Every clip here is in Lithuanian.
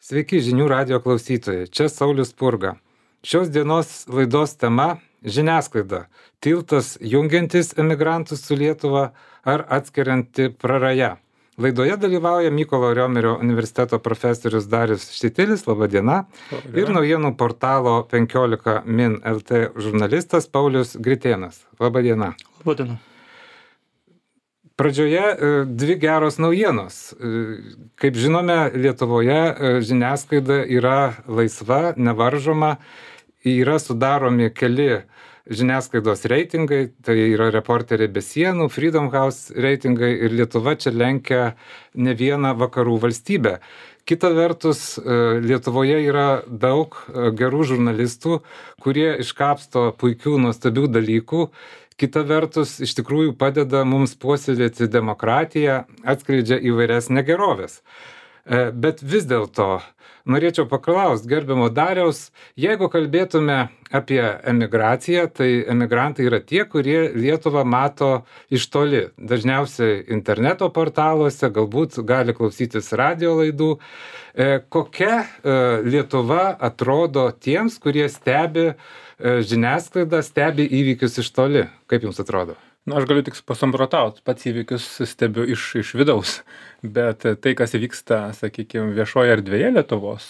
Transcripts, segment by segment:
Sveiki žinių radijo klausytojai, čia Saulius Spurga. Šios dienos laidos tema - žiniasklaida. Tiltas jungiantis emigrantus su Lietuva ar atskirianti praraja. Laidoje dalyvauja Mykolo Riomerio universiteto profesorius Darius Štitilis, laba diena, ir naujienų portalo 15 min LT žurnalistas Paulius Gritėnas. Laba diena. Laba diena. Pradžioje dvi geros naujienos. Kaip žinome, Lietuvoje žiniasklaida yra laisva, nevaržoma, yra sudaromi keli žiniasklaidos reitingai, tai yra Reporteriai be sienų, Freedom House reitingai ir Lietuva čia lenkia ne vieną vakarų valstybę. Kita vertus, Lietuvoje yra daug gerų žurnalistų, kurie iškapsto puikių, nuostabių dalykų. Kita vertus, iš tikrųjų padeda mums puoselėti demokratiją, atskleidžia įvairias negeroves. Bet vis dėlto norėčiau paklausti gerbiamo Dariaus, jeigu kalbėtume apie emigraciją, tai emigrantai yra tie, kurie Lietuvą mato iš toli. Dažniausiai interneto portaluose, galbūt gali klausytis radio laidų. Kokia Lietuva atrodo tiems, kurie stebi žiniasklaidą, stebi įvykius iš toli? Kaip jums atrodo? Aš galiu tik pasamprotauti, pats įvykius stebiu iš vidaus, bet tai, kas vyksta, sakykime, viešoje erdvėje Lietuvos,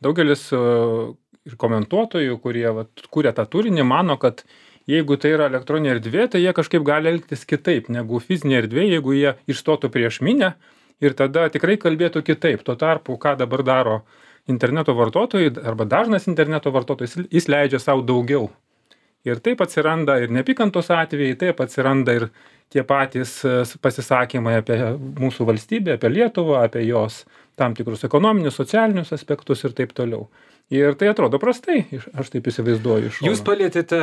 daugelis ir komentuotojų, kurie kūrė tą turinį, mano, kad jeigu tai yra elektroninė erdvė, tai jie kažkaip gali elgtis kitaip negu fizinė erdvė, jeigu jie išstotų prieš minią ir tada tikrai kalbėtų kitaip. Tuo tarpu, ką dabar daro interneto vartotojai arba dažnas interneto vartotojas, jis leidžia savo daugiau. Ir taip atsiranda ir neapykantos atvejai, taip atsiranda ir tie patys pasisakymai apie mūsų valstybę, apie Lietuvą, apie jos tam tikrus ekonominius, socialinius aspektus ir taip toliau. Ir tai atrodo prastai, aš taip įsivaizduoju iš šono. Jūs palėtėte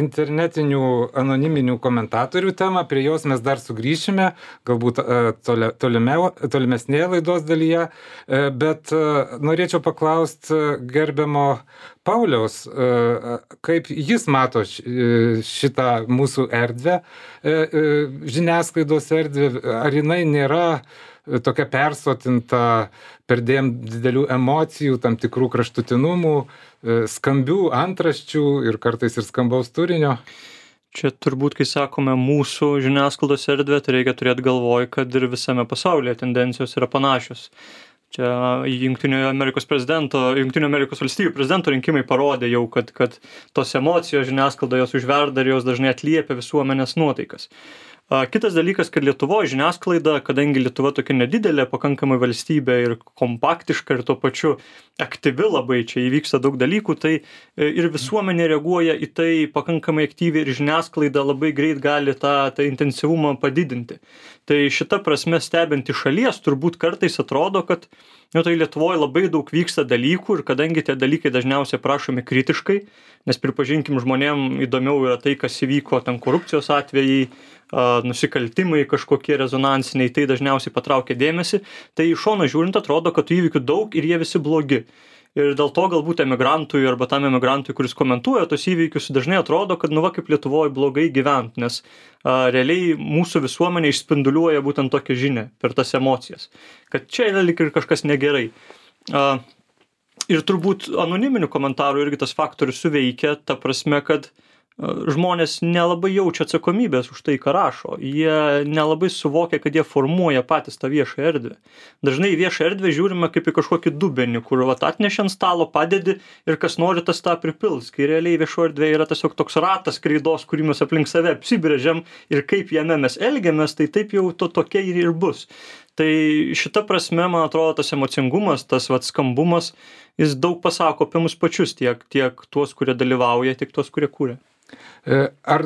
internetinių anoniminių komentatorių temą, prie jos mes dar sugrįšime, galbūt tolimesnėje laidos dalyje, bet norėčiau paklausti gerbiamo Pauliaus, kaip jis mato šitą mūsų erdvę, žiniasklaidos erdvę, ar jinai nėra tokia persotinta perdėm didelių emocijų, tam tikrų kraštutinumų, skambių antraščių ir kartais ir skambaus turinio? Čia turbūt, kai sakome mūsų žiniasklaidos erdvė, tai reikia turėti galvoj, kad ir visame pasaulyje tendencijos yra panašios. Čia Jungtinių Amerikos valstijų prezidento rinkimai parodė jau, kad tos emocijos žiniasklaidoje jos užverda ir jos dažnai atliepia visuomenės nuotaikas. Kitas dalykas, kad Lietuvoje žiniasklaida, kadangi Lietuva tokia nedidelė, pakankamai valstybė ir kompaktiška ir tuo pačiu aktyvi labai, čia įvyksta daug dalykų, tai ir visuomenė reaguoja į tai pakankamai aktyviai ir žiniasklaida labai greit gali tą intensyvumą padidinti. Tai šita prasme stebint iš šalies turbūt kartais atrodo, kad tai Lietuvoje labai daug vyksta dalykų ir kadangi tie dalykai dažniausiai prašomi kritiškai, nes pripažinkim žmonėm įdomiau yra tai, kas įvyko ten korupcijos atvejai, nusikaltimai kažkokie rezonansiniai, tai dažniausiai patraukia dėmesį, tai iš šono žiūrint atrodo, kad tų įvykių daug ir jie visi blogi. Ir dėl to galbūt emigrantui arba tam emigrantui, kuris komentuoja tos įvykius, dažnai atrodo, kad kaip Lietuvoje blogai gyvent, nes realiai mūsų visuomenė išspinduliuoja būtent tokią žinią per tas emocijas, kad čia yra lyg ir kažkas negerai. Ir turbūt anoniminių komentarų irgi tas faktorius suveikia, ta prasme, kad žmonės nelabai jaučia atsakomybės už tai, ką rašo. Jie nelabai suvokia, kad jie formuoja patys tą viešą erdvę. Dažnai į viešą erdvę žiūrime kaip į kažkokį dubenį, kur atneši ant stalo, padedi ir kas nori tas tą pripils. Kai realiai viešo erdvė yra tiesiog toks ratas kreidos, kurį mes aplink save apsibrėžiam ir kaip jame mes elgiamės, tai taip jau tokia ir bus. Tai šita prasme, man atrodo, tas emocingumas, tas skambumas, jis daug pasako apie mus pačius, tiek tuos, kurie dalyvauja, tiek tuos, kurie kūrė. Ar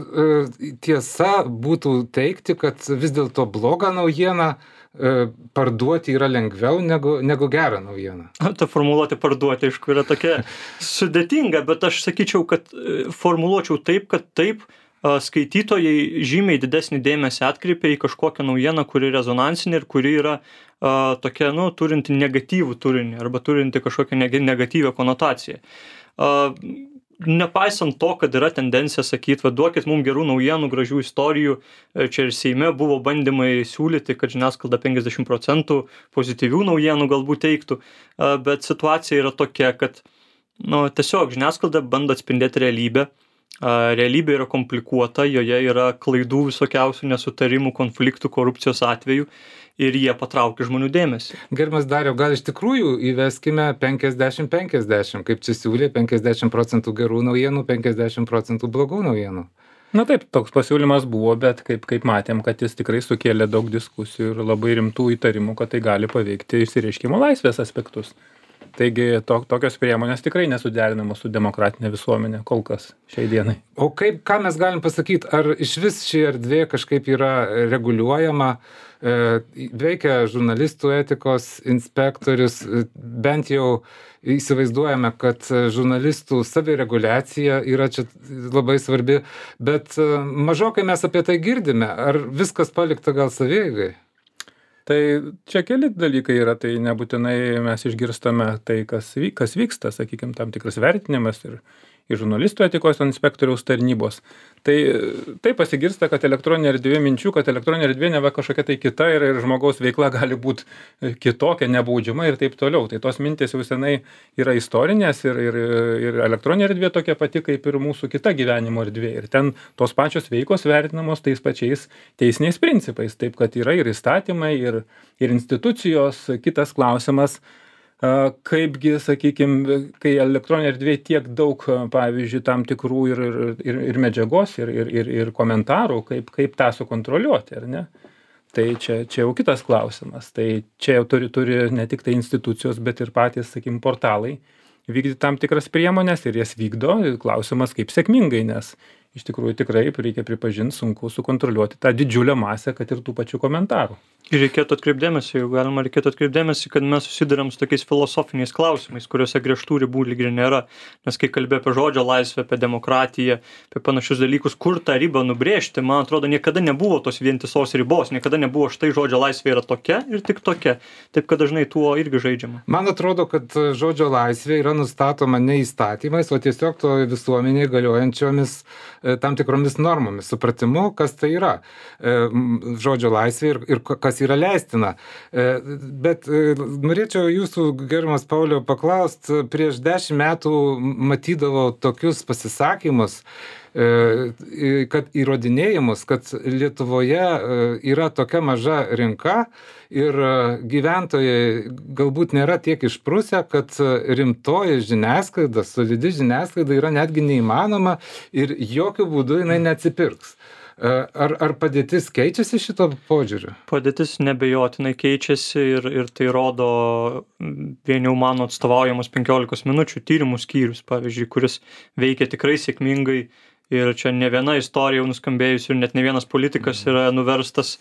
tiesa būtų teigti, kad vis dėlto blogą naujieną parduoti yra lengviau negu gerą naujieną? Ta formuluotė parduoti, aišku, yra tokia sudėtinga, bet aš sakyčiau, kad formuluočiau taip, kad taip skaitytojai žymiai didesnį dėmesį atkreipia į kažkokią naujieną, kuri rezonansinė ir kuri yra tokia, turinti negatyvų turinį arba turinti kažkokią negatyvią konotaciją. nepaisant to, kad yra tendencija sakyti, duokit mums gerų naujienų, gražių istorijų, čia ir Seime buvo bandymai siūlyti, kad žiniasklaida 50% pozityvių naujienų galbūt teiktų, bet situacija yra tokia, kad tiesiog žiniasklaida bando atspindėti realybę. Realybė yra komplikuota, joje yra klaidų visokiausių nesutarimų, konfliktų, korupcijos atvejų ir jie patraukia žmonių dėmesį. Gerbiamas Dariau, gal iš tikrųjų įveskime 50-50, kaip čia siūlė, 50% gerų naujienų, 50% blogų naujienų. Na taip, toks pasiūlymas buvo, bet kaip matėm, kad jis tikrai sukėlė daug diskusijų ir labai rimtų įtarimų, kad tai gali paveikti išsireiškimo laisvės aspektus. Taigi tokios priemonės tikrai nesuderinamos su demokratinė visuomenė kol kas šiai dienai. O ką mes galim pasakyti, ar iš vis ši erdvė kažkaip yra reguliuojama, veikia žurnalistų etikos inspektorius, bent jau įsivaizduojame, kad žurnalistų savireguliacija yra čia labai svarbi, bet mažokai mes apie tai girdime, ar viskas palikta gal savieigai? Tai čia keli dalykai yra, tai nebūtinai mes išgirstame tai, kas vyksta, sakykime, tam tikras vertinimas ir žurnalistų etikos inspektoriaus tarnybos. Tai pasigirsta, kad elektroninė erdvė minčių, kad elektroninė erdvė neva kažkokia tai kita ir žmogaus veikla gali būti kitokia, nebaudžiama ir taip toliau. Tai tos mintys jau senai yra istorinės ir elektroninė erdvė tokia pati kaip ir mūsų kita gyvenimo erdvė. Ir ten tos pačios veikos vertinamos tais pačiais teisiniais principais. Taip, kad yra ir įstatymai, ir institucijos. Kitas klausimas, kaipgi, sakykime, kai elektroninė erdvė tiek daug, pavyzdžiui, tam tikrų ir medžiagos, ir komentarų, kaip tą sukontroliuoti, ar ne? Tai čia jau kitas klausimas. Tai čia jau turi ne tik tai institucijos, bet ir patys, sakykime, portalai vykdyti tam tikras priemonės ir jas vykdo. Klausimas, kaip sėkmingai, nes iš tikrųjų tikrai reikia pripažinti, sunku sukontroliuoti tą didžiulę masę, kad ir tų pačių komentarų. Ir reikėtų atkreipdėmėsi, jeigu galima, reikėtų atkreipdėmėsi, kad mes susiduriam su tokiais filosofiniais klausimais, kuriuose griežtų ribų lyg ir nėra. Nes kai kalbė apie žodžio laisvę, apie demokratiją, apie panašius dalykus, kur tą ribą nubrėžti, man atrodo, niekada nebuvo tos vientisos ribos, niekada nebuvo štai žodžio laisvė yra tokia ir tik tokia. Taip, kad dažnai tuo irgi žaidžiama. Man atrodo, kad žodžio laisvė yra nustatoma ne įstatymais, o tiesiog to visuomeniai galiojančiomis tam tikromis normomis, supratimu, kas tai yra žodžio laisvė ir kas yra leistina. Bet norėčiau jūsų, gerbiamas Pauliau, paklausti, prieš 10 metų matydavau tokius pasisakymus, kad įrodinėjimus, kad Lietuvoje yra tokia maža rinka ir gyventojai galbūt nėra tiek išprusę, kad rimtoji žiniasklaida, solidi žiniasklaida yra netgi neįmanoma ir jokių būdų jinai neatsipirks. Ar padėtis keičiasi šito požiūriu? Padėtis nebejotinai keičiasi ir tai rodo vien jau mano atstovaujamos 15 minučių tyrimų skyrius, pavyzdžiui, kuris veikia tikrai sėkmingai ir čia ne viena istorija jau nuskambėjusi ir net ne vienas politikas yra nuverstas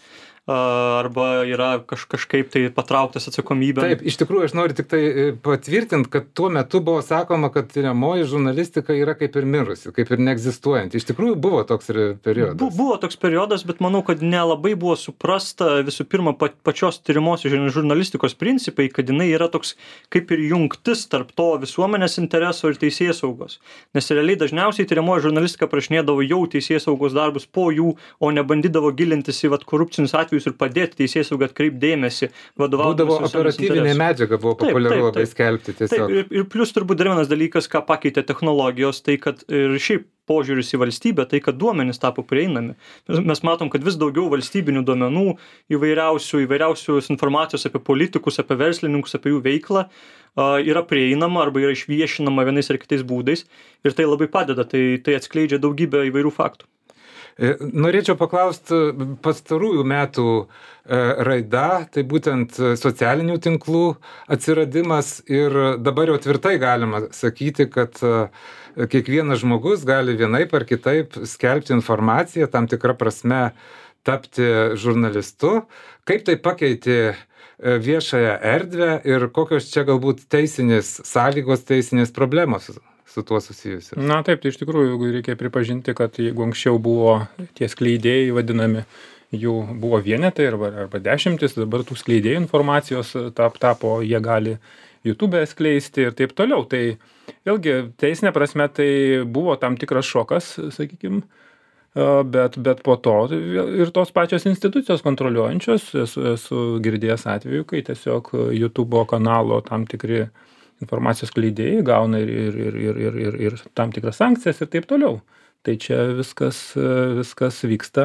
arba yra kažkaip tai patrauktas atsakomybę. Taip, iš tikrųjų aš noriu tik tai patvirtinti, kad tuo metu buvo sakoma, kad tyriamoji žurnalistika yra kaip ir mirusi, kaip ir neegzistuojanti. Iš tikrųjų buvo toks periodas. Buvo toks periodas, bet manau, kad nelabai buvo suprasta visų pirma pačios tyrimosios žurnalistikos principai, kad jinai yra toks kaip ir jungtis tarp to visuomenės intereso ir teisėsaugos. Nes realiai dažniausiai tyriamoji žurnalistika prašinėdavo jau teisėsaugos darbus po jų, o nebandydavo gilintis į korupcinius atvejus ir padėti teisėsaugą atkreipti dėmesį, vadovautis būdavo operatyvinė medžiaga, buvo populiaru labai skelbti tiesiog. Taip, ir plius turbūt dar vienas dalykas, ką pakeitė technologijos, tai kad ir šiaip požiūris į valstybę, tai kad duomenys tapo prieinami. Mes matom, kad vis daugiau valstybinių duomenų, įvairiausios informacijos apie politikus, apie verslininkus, apie jų veiklą yra prieinama arba yra išviešinama vienais ar kitais būdais ir tai labai padeda, tai atskleidžia daugybę įvairių faktų. Norėčiau paklausti pastarųjų metų raida, tai būtent socialinių tinklų atsiradimas ir dabar jau tvirtai galima sakyti, kad kiekvienas žmogus gali vienaip ar kitaip skelbti informaciją, tam tikrą prasme tapti žurnalistu. Kaip tai pakeitė viešąją erdvę ir kokios čia galbūt teisinės sąlygos, teisinės problemos su tuo susijusi? Na taip, tai iš tikrųjų reikia pripažinti, kad jeigu anksčiau buvo tie skleidėjai vadinami, jų buvo vienetai arba dešimtis, dabar tų skleidėjų informacijos tapo, jie gali YouTube skleisti ir taip toliau. Tai Vėlgi, teisinė prasme tai buvo tam tikras šokas, sakykim, bet po to ir tos pačios institucijos kontroliuojančios, esu girdėjęs atveju, kai tiesiog YouTube kanalo tam tikri informacijos skleidėjai gauna ir tam tikras sankcijas ir taip toliau. Tai čia viskas vyksta.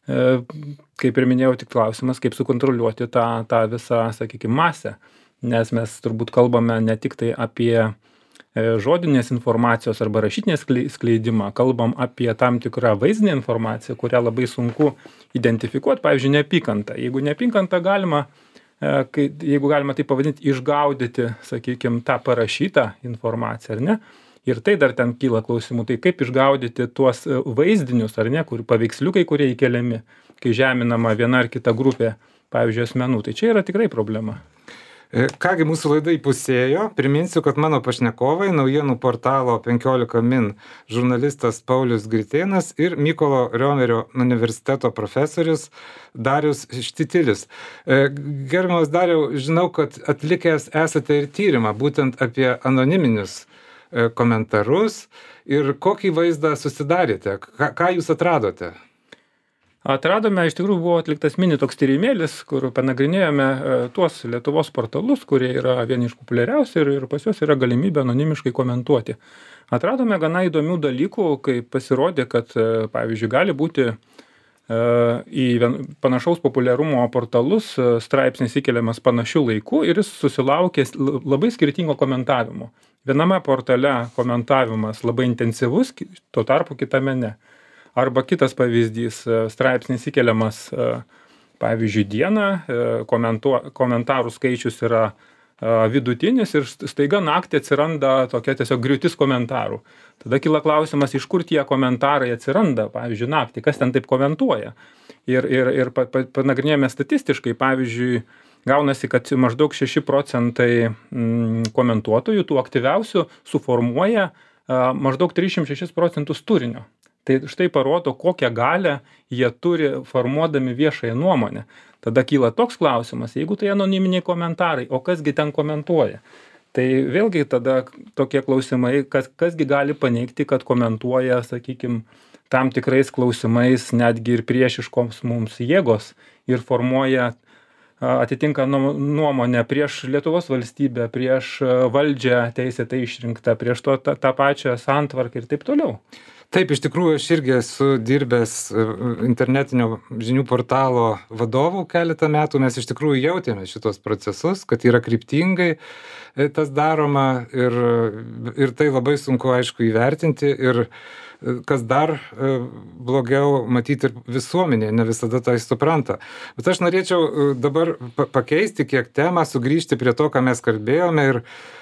Kaip ir minėjau, tik klausimas, kaip sukontroliuoti tą visą, sakykime, masę. Nes mes turbūt kalbame ne tik tai apie žodinės informacijos arba rašytinės skleidimą, kalbam apie tam tikrą vaizdinę informaciją, kurią labai sunku identifikuoti, pavyzdžiui, neapykantą. Jeigu neapykantą galima, jeigu galima tai pavadinti, išgaudyti, sakykime, tą parašytą informaciją, ar ne? Ir tai dar ten kyla klausimų, tai kaip išgaudyti tuos vaizdinius, ar ne, kur paveiksliukai, kurie įkeliami, kai žeminama viena ar kita grupė, pavyzdžiui, asmenų. Tai čia yra tikrai problema. Kągi, mūsų laida įpusėjo. Priminsiu, kad mano pašnekovai naujienų portalo 15 min žurnalistas Paulius Gritėnas ir Mykolo Riomerio universiteto profesorius Darius Štitilis. Gerbiamas Dariau, žinau, kad atlikęs esate ir tyrimą būtent apie anoniminius komentarus ir kokį vaizdą susidarėte, ką jūs atradote? Atradome, iš tikrųjų buvo atliktas mini toks tyrimėlis, kur panagrinėjome tuos Lietuvos portalus, kurie yra vieni iš populiariausių ir pas juos yra galimybė anonimiškai komentuoti. Atradome gana įdomių dalykų, kai pasirodė, kad, pavyzdžiui, gali būti į panašaus populiarumo portalus straipsnis įkeliamas panašių laikų ir jis susilaukė labai skirtingo komentavimo. Viename portale komentavimas labai intensyvus, tuo tarpu kitame ne. Arba kitas pavyzdys, straipsnis įkeliamas, pavyzdžiui, dieną, komentarų skaičius yra vidutinis ir staiga naktį atsiranda tokia tiesiog griūtis komentarų. Tada kyla klausimas, iš kur tie komentarai atsiranda, pavyzdžiui, naktį, kas ten taip komentuoja. Ir panagrinėjome statistiškai, pavyzdžiui, gaunasi, kad maždaug 6% komentuotojų, tų aktyviausių, suformuoja maždaug 36% turinio. Tai štai parodo, kokią galią jie turi formuodami viešąją nuomonę. Tada kyla toks klausimas, jeigu tai anoniminiai komentarai, o kasgi ten komentuoja? Tai vėlgi tada tokie klausimai, kasgi gali paneigti, kad komentuoja, sakykime, tam tikrais klausimais netgi ir priešiškoms mums jėgos ir formuoja atitinka nuomonę prieš Lietuvos valstybę, prieš valdžią teisėtai išrinktą, prieš tą pačią santvarką ir taip toliau. Taip, iš tikrųjų, aš irgi esu dirbęs internetinio žinių portalo vadovų keletą metų. Mes iš tikrųjų jautėme šitos procesus, kad yra kryptingai tas daroma ir tai labai sunku, aišku, įvertinti. Ir kas dar blogiau, matyti ir visuomenė ne visada tai supranta. Bet aš norėčiau dabar pakeisti kiek temą, sugrįžti prie to, ką mes kalbėjome ir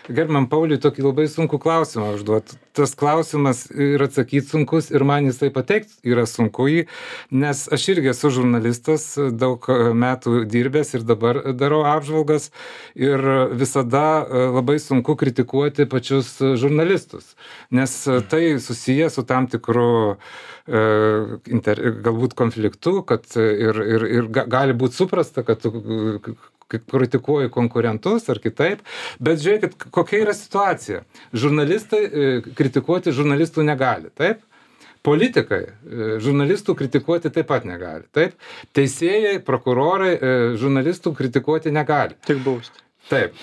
gerbiamam Pauliui tokį labai sunkų klausimą užduoti. Tas klausimas ir atsakyti sunkus ir man jisai pateikti yra sunku jį, nes aš irgi esu žurnalistas, daug metų dirbęs ir dabar darau apžvalgas ir visada labai sunku kritikuoti pačius žurnalistus, nes tai susiję su tam tikru galbūt konfliktu, kad ir gali būti suprasta, kad tu kritikuoji konkurentus ar kitaip, bet žiūrėkit, kokia yra situacija. Žurnalistai kritikuoti žurnalistų negali, taip? Politikai žurnalistų kritikuoti taip pat negali, taip? Teisėjai, prokurorai žurnalistų kritikuoti negali. Tik bausti. Taip.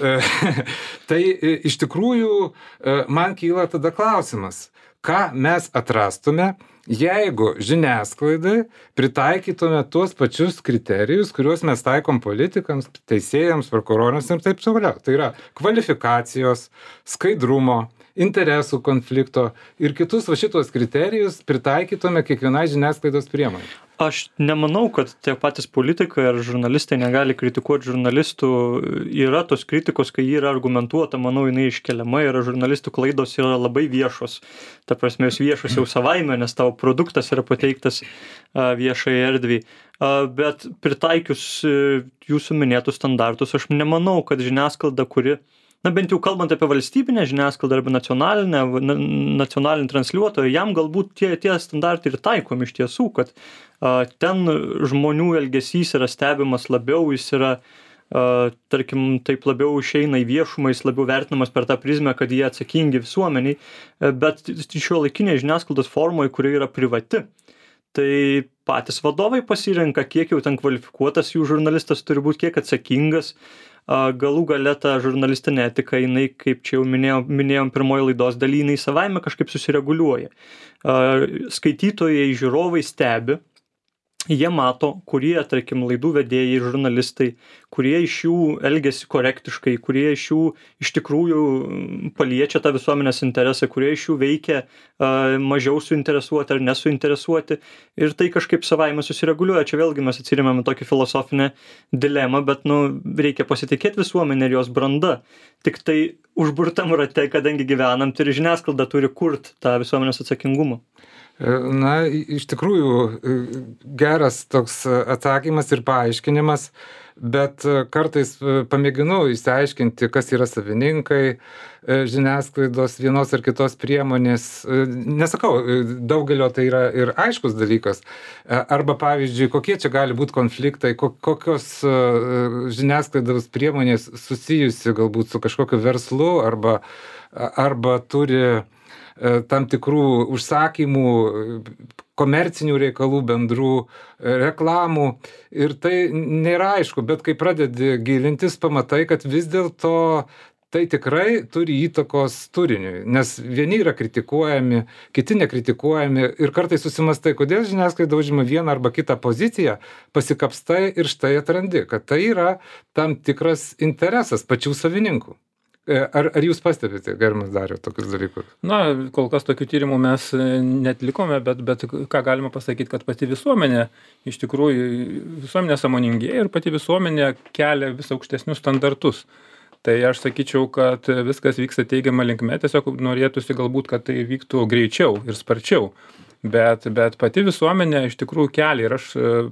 Tai iš tikrųjų man kyla tada klausimas, ką mes atrastume, jeigu žiniasklaidai pritaikytume tuos pačius kriterijus, kuriuos mes taikom politikams, teisėjams, prokurorams ir taip toliau. Tai yra kvalifikacijos, skaidrumo, interesų konflikto ir kitus šitos kriterijus pritaikytume kiekvienai žiniasklaidos priemonei. Aš nemanau, kad tie patys politikai ar žurnalistai negali kritikuoti žurnalistų. Yra tos kritikos, kai ji yra argumentuota, manau, jinai iškeliama ir žurnalistų klaidos yra labai viešos. Ta prasme, jos viešos jau savaime, nes tavo produktas yra pateiktas viešai erdviai. Bet pritaikius jūsų minėtus standartus, aš nemanau, kad žiniasklaida, kuri, na bent jau kalbant apie valstybinę žiniasklaidą arba nacionalinį transliuotoją, jam galbūt tie standartai ir taikomi iš tiesų, kad ten žmonių elgesys yra stebimas labiau, jis yra tarkim, taip labiau išeina į viešumą, jis labiau vertinamas per tą prizmę, kad jie atsakingi visuomeniai, bet šiuolaikinėje žiniasklaidos formoje, kuri yra privati, tai patys vadovai pasirenka, kiek jau ten kvalifikuotas jų žurnalistas turi būti, kiek atsakingas. Galų gale ta žurnalistinė etika, jinai, kaip čia jau minėjom pirmoji laidos daly, jinai savaime kažkaip susireguliuoja. Skaitytojai, žiūrovai stebi, jie mato, kurie, tarkim, laidų vedėjai, žurnalistai, kurie iš jų elgiasi korektiškai, kurie iš jų iš tikrųjų paliečia tą visuomenės interesą, kurie iš jų veikia mažiau suinteresuoti ar nesuinteresuoti, ir tai kažkaip savaime susireguliuoja. Čia vėlgi mes atsiremiam į tokį filosofinę dilemą, bet reikia pasitikėti visuomenę ir jos branda. Tik tai užburtam rate, kadangi gyvenam, tai ir žiniasklaida turi kurt tą visuomenės atsakingumą. Na, iš tikrųjų, geras toks atsakymas ir paaiškinimas, bet kartais pamėginu išsiaiškinti, kas yra savininkai žiniasklaidos vienos ar kitos priemonės. Nesakau, daugelio tai yra ir aiškus dalykas. Arba, pavyzdžiui, kokie čia gali būti konfliktai, kokios žiniasklaidos priemonės susijusi galbūt su kažkokiu verslu, arba turi tam tikrų užsakymų, komercinių reikalų, bendrų reklamų. Ir tai nėra aišku, bet kai pradedi gilintis, pamatai, kad vis dėlto tai tikrai turi įtakos turiniui, nes vieni yra kritikuojami, kiti nekritikuojami, ir kartais susimastai, kodėl žiniasklaida užima vieną arba kitą poziciją, pasikapstai ir štai atrandi, kad tai yra tam tikras interesas pačių savininkų. Ar jūs pastebite, gerbiamas Dariau, tokius dalykus? Na, kol kas tokių tyrimų mes netlikome, bet ką galima pasakyti, kad pati visuomenė, iš tikrųjų, visuomenė sąmoningėja ir pati visuomenė kelia vis aukštesnius standartus. Tai aš sakyčiau, kad viskas vyksta teigiama linkme, tiesiog norėtųsi galbūt, kad tai vyktų greičiau ir sparčiau. Bet pati visuomenė iš tikrųjų kelia, ir aš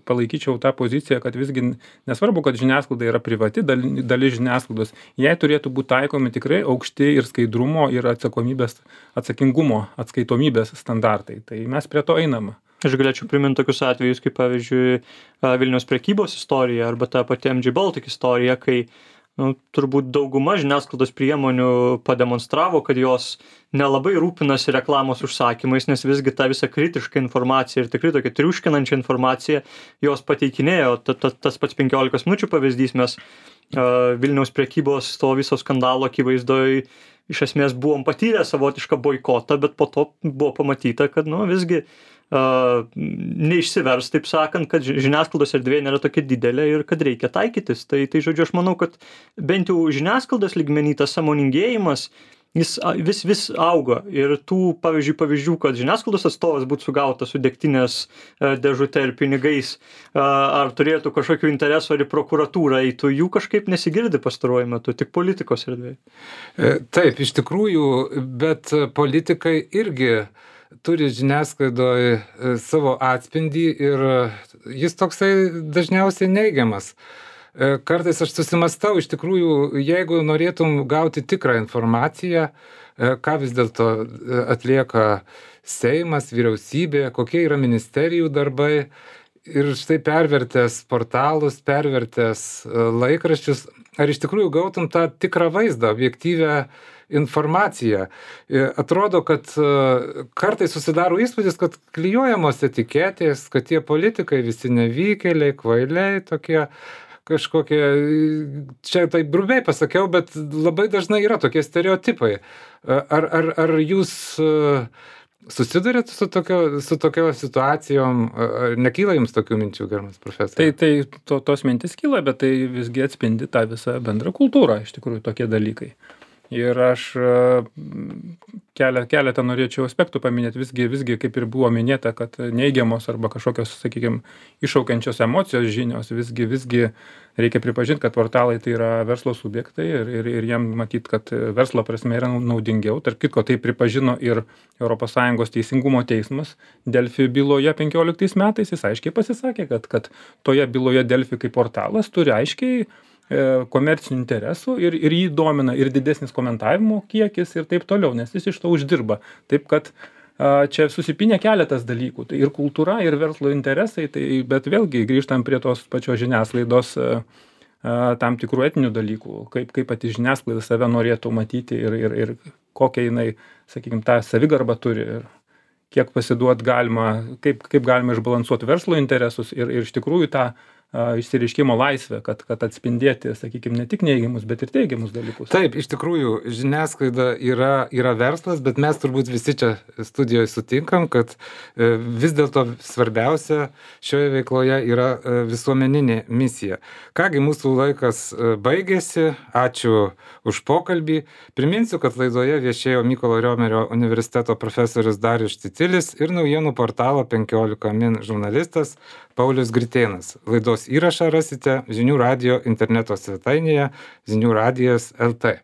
palaikyčiau tą poziciją, kad visgi nesvarbu, kad žiniasklaida yra privati dalis žiniasklaidos, jai turėtų būti taikomi tikrai aukšti ir skaidrumo, ir atsakingumo, atskaitomybės standartai. Tai mes prie to einame. Aš galėčiau priminti tokius atvejus, kaip pavyzdžiui Vilniaus prekybos istorija arba ta pati MG Baltic istorija, kai turbūt dauguma žiniasklaidos priemonių pademonstravo, kad jos nelabai rūpinasi reklamos užsakymais, nes visgi tą visą kritišką informaciją ir tikrai tokią triuškinančią informaciją jos pateikinėjo. Tas pats 15 minučių pavyzdys, mes Vilniaus prekybos to viso skandalo akivaizdoj iš esmės buvom patyrę savotišką boikotą, bet po to buvo pamatyta, kad visgi neišsivers, taip sakant, kad žiniasklaidos erdvė nėra tokia didelė ir kad reikia taikytis. Tai žodžiu, aš manau, kad bent jau žiniasklaidos lygmeny tas sąmoningėjimas, jis vis auga. Ir tų pavyzdžių, kad žiniasklaidos atstovas būtų sugautas su degtinės dėžute ir pinigais, ar turėtų kažkokių interesų, ar į prokuratūrą eitų, jų kažkaip nesigirdi pastaruoju metu, tik politikos erdvėje. Taip, iš tikrųjų, bet politikai irgi turi žiniasklaidoje savo atspindį ir jis toksai dažniausiai neigiamas. Kartais aš susimastau, iš tikrųjų, jeigu norėtum gauti tikrą informaciją, ką vis dėlto atlieka Seimas, vyriausybė, kokie yra ministerijų darbai, ir štai pervertęs portalus, pervertęs laikraščius, ar iš tikrųjų gautum tą tikrą vaizdą, objektyvę informaciją. Atrodo, kad kartais susidaro įspūdis, kad klijuojamos etiketės, kad tie politikai visi nevykėliai, kvailiai tokie kažkokie, čia taip grubiai pasakiau, bet labai dažnai yra tokie stereotipai. Ar jūs susidurėt su tokio situacijom, nekyla jums tokių minčių, gerbiamas profesorius? Tos mintis kyla, bet tai visgi atspindi tą visą bendrą kultūrą, iš tikrųjų, tokie dalykai. Ir aš keletą norėčiau aspektų paminėti, visgi kaip ir buvo minėta, kad neigiamos arba kažkokios, sakykime, iššaukiančios emocijos žinios, visgi reikia pripažinti, kad portalai tai yra verslo subjektai ir jiem matyti, kad verslo prasme yra naudingiau. Tarp kitko, tai pripažino ir ES teisingumo teismas Delfi byloje 15 metais, jis aiškiai pasisakė, kad toje byloje Delfi kaip portalas turi aiškiai komercinių interesų ir jį domina ir didesnis komentavimo kiekis ir taip toliau, nes jis iš to uždirba. Taip kad čia susipinė keletas dalykų, tai ir kultūra, ir verslo interesai, bet vėlgi grįžtam prie tos pačios žiniasklaidos tam tikrų etinių dalykų, kaip pati žiniasklaida save norėtų matyti ir kokią jinai, sakykime, tą savigarbą turi ir kiek pasiduot galima, kaip galima išbalansuoti verslo interesus ir iš tikrųjų tą išsireiškimo laisvę, kad atspindėti, sakykime, ne tik neigiamus, bet ir teigiamus dalykus. Taip, iš tikrųjų, žiniasklaida yra verslas, bet mes turbūt visi čia studijoje sutinkam, kad vis dėlto svarbiausia šioje veikloje yra visuomeninė misija. Kągi, mūsų laikas baigėsi, ačiū už pokalbį. Priminsiu, kad laidoje viešėjo Mykolo Riomerio universiteto profesorius Darius Šticilis ir naujienų portalo 15 min žurnalistas Paulius Gritėnas. Laidos įrašą rasite Žinių radijo interneto svetainėje žiniųradijas.lt.